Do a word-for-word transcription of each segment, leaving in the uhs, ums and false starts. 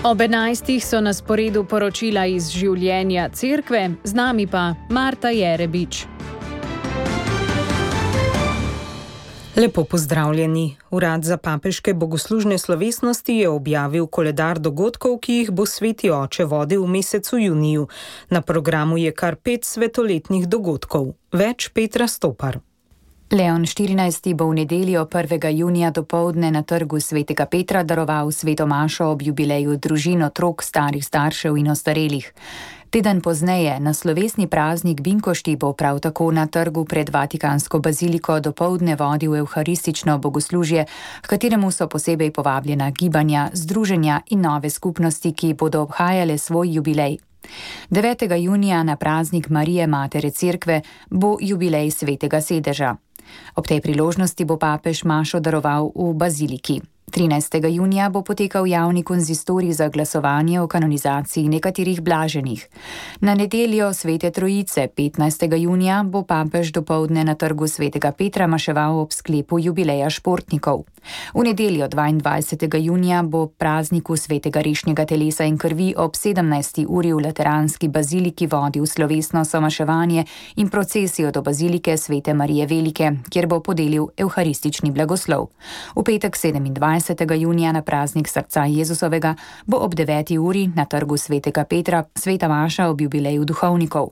Ob enajstih so na sporedu poročila iz življenja cerkve, z nami pa Marta Jerebič. Lepo pozdravljeni. Urad za papeške bogoslužne slovesnosti je objavil koledar dogodkov, ki jih bo Sveti oče vodil v mesecu juniju. Na programu je kar pet svetoletnih dogodkov. Več Petra Stopar. Leon štirinajsti bo v nedeljo prvega junija dopoldne na trgu Svetega Petra daroval sveto mašo ob jubileju družin, otrok, starih staršev in ostarelih. Teden pozneje, na slovesni praznik Binkošti, bo prav tako na trgu pred Vatikansko baziliko dopoldne vodil evharistično bogoslužje, v kateremu so posebej povabljena gibanja, združenja in nove skupnosti, ki bodo obhajale svoj jubilej. devetega junija na praznik Marije Matere Cerkve bo jubilej Svetega sedeža. Ob tej priložnosti bo papež mašo daroval v baziliki. trinajstega junija bo potekal javni konzistorij za glasovanje o kanonizaciji nekaterih blaženih. Na nedeljo Svete Trojice, petnajstega junija, bo papež dopoldne na trgu Svetega Petra maševal ob sklepu jubileja športnikov. V nedeljo dvaindvajsetega junija bo prazniku Svetega rešnjega telesa in krvi ob sedemnajsti uri v Lateranski baziliki vodil slovesno somaševanje in procesijo do bazilike Svete Marije Velike, kjer bo podelil evharistični blagoslov. V petek sedemindvajsetega junija na praznik srca Jezusovega bo ob deveti uri na trgu Svetega Petra sveta maša ob jubileju duhovnikov.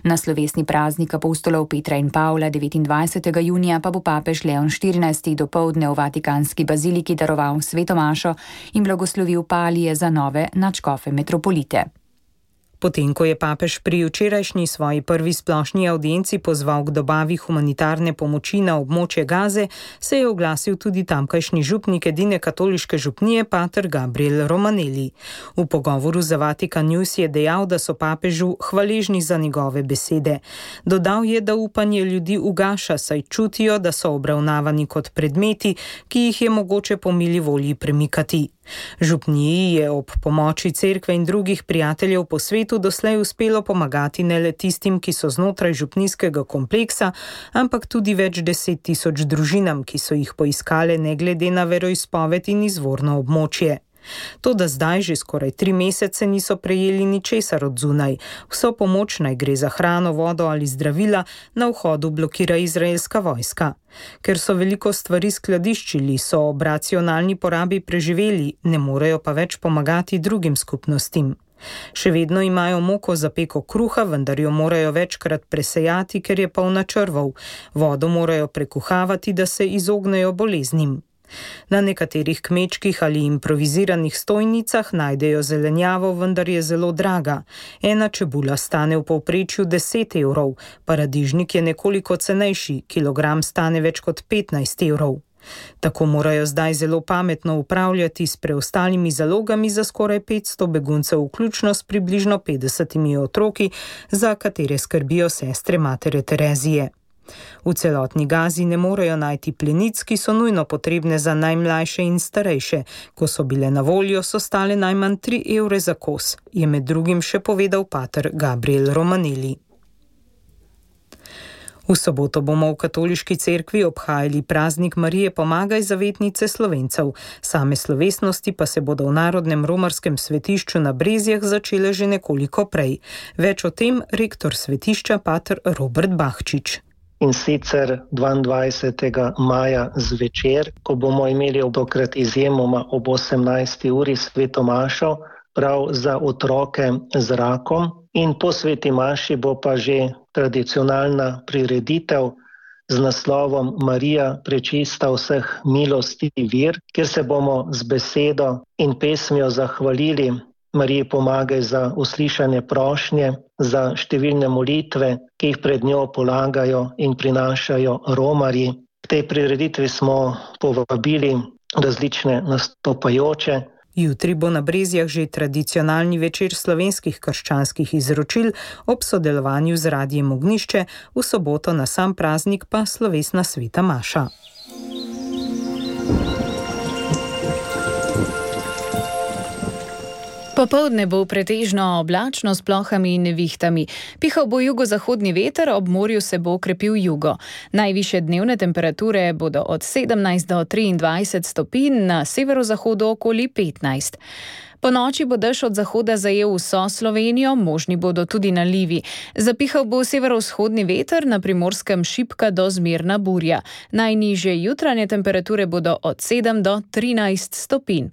Na slovesni praznik apostolov Petra in Pavla devetindvajsetega junija pa bo papež Leon štirinajsti dopoldne v Vatikanski baziliki daroval sveto mašo in blagoslovil palije za nove nadškofe metropolite. Potem, ko je papež pri včerajšnji svoji prvi splošni avdienci pozval k dobavi humanitarne pomoči na območje Gaze, se je oglasil tudi tamkajšnji župnik edine katoliške župnije pater Gabriel Romanelli. V pogovoru za Vatikan News je dejal, da so papežu hvaležni za njegove besede. Dodal je, da upanje ljudi ugaša, saj čutijo, da so obravnavani kot predmeti, ki jih je mogoče po mili volji premikati. Župniji je ob pomoči cerkve in drugih prijateljev po svetu doslej uspelo pomagati ne le tistim, ki so znotraj župnijskega kompleksa, ampak tudi več deset tisoč družinam, ki so jih poiskale ne glede na veroizpoved in izvorno območje. Toda zdaj že skoraj tri mesece niso prejeli ničesar od zunaj. Vso pomoč, naj gre za hrano, vodo ali zdravila, na vhodu blokira izraelska vojska. Ker so veliko stvari skladiščili, so ob racionalni porabi preživeli, ne morejo pa več pomagati drugim skupnostim. Še vedno imajo moko za peko kruha, vendar jo morajo večkrat presejati, ker je polna črvov. Vodo morajo prekuhavati, da se izognejo boleznim. Na nekaterih kmečkih ali improviziranih stojnicah najdejo zelenjavo, vendar je zelo draga. Ena čebula stane v povprečju deset evrov, paradižnik je nekoliko cenejši, kilogram stane več kot petnajst evrov. Tako morajo zdaj zelo pametno upravljati s preostalimi zalogami za skoraj petsto beguncev, vključno s približno petdesetimi otroki, za katere skrbijo sestre Matere Terezije. V celotni Gazi ne morejo najti plenic, ki so nujno potrebne za najmlajše in starejše. Ko so bile na voljo, so stale najmanj tri evre za kos, je med drugim še povedal pater Gabriel Romanelli. V soboto bomo v katoliški cerkvi obhajali praznik Marije Pomagaj, zavetnice Slovencev. Same slovesnosti pa se bodo v Narodnem romarskem svetišču na Brezjah začele že nekoliko prej. Več o tem rektor svetišča pater Robert Bahčič. In sicer dvaindvajsetega maja zvečer, ko bomo imeli tokrat izjemoma ob osemnajsti uri sveto mašo, prav za otroke z rakom. In po sveti maši bo pa že tradicionalna prireditev z naslovom Marija, prečista vseh milosti vir, kjer se bomo z besedo in pesmijo zahvalili Mariji Pomagaj za uslišane prošnje, za številne molitve, ki jih pred njo polagajo in prinašajo romarji. K tej prireditvi smo povabili različne nastopajoče. Jutri bo na Brezjah že tradicionalni večer slovenskih krščanskih izročil ob sodelovanju z Radiem Ognjišče, v soboto na sam praznik pa slovesna sveta maša. Popoldne bo pretežno oblačno s plohami in nevihtami. Pihal bo jugozahodni veter, ob morju se bo okrepil jugo. Najvišje dnevne temperature bodo od sedemnajst do triindvajset stopinj, na severozahodu okoli petnajst. Po noči bo dež od zahoda zajel vso Slovenijo, možni bodo tudi nalivi. Zapihal bo severovzhodni veter, na Primorskem šibka do zmerna burja. Najnižje jutranje temperature bodo od sedem do trinajst stopinj.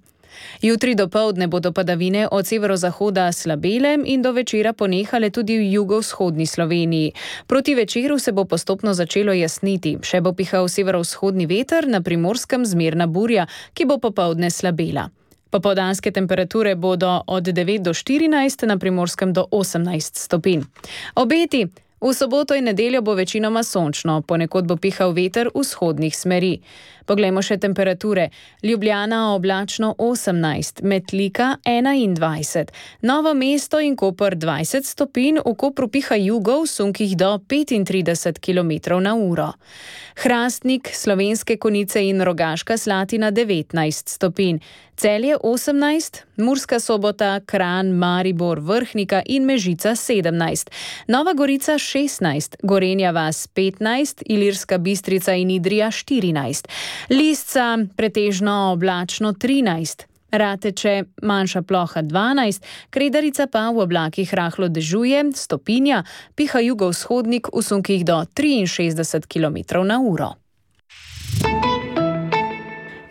Jutri dopoldne bodo padavine od severozahoda slabele in do večera ponehale tudi v jugovzhodni Sloveniji. Proti večeru se bo postopno začelo jasniti, še bo pihal severovzhodni veter, na Primorskem zmerna burja, ki bo popoldne slabela. Popoldanske temperature bodo od devet do štirinajst, na Primorskem do osemnajst stopinj. Obeti. V soboto in nedeljo bo večinoma sončno, ponekod bo pihal veter vzhodnih smeri. Poglejmo še temperature. Ljubljana oblačno osemnajst, Metlika enaindvajset, Novo mesto in Koper dvajset stopinj, v Kopru piha jugo v sunkih do petintrideset kilometrov na uro. Hrastnik, Slovenske Konjice in Rogaška Slatina devetnajst stopinj, Celje osemnajst, Murska Sobota, Kranj, Maribor, Vrhnika in Mežica sedemnajst, Nova Gorica šestnajst, Gorenja vas petnajst, Ilirska Bistrica in Idrija štirinajst, Lisca pretežno oblačno trinajst, Rateče manjša ploha dvanajst, Kredarica pa v oblakih rahlo dežuje, stopinja, piha jugovzhodnik v sunkih do triinšestdeset kilometrov na uro.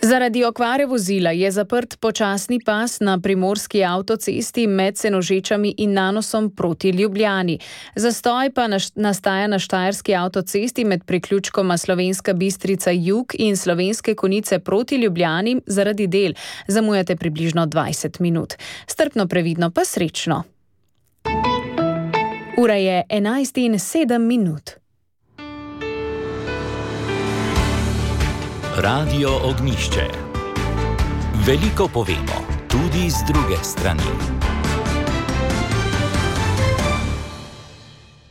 Zaradi okvare vozila je zaprt počasni pas na primorski avtocesti med Senožečami in Nanosom proti Ljubljani. Zastoj pa nastaja na štajerski avtocesti med priključkoma Slovenska Bistrica jug in Slovenske Konjice proti Ljubljani zaradi del. Zamujate približno dvajset minut. Strpno, previdno pa srečno. Ura je enajst in sedem minut. Radio Ognjišče. Veliko povemo, tudi z druge strani.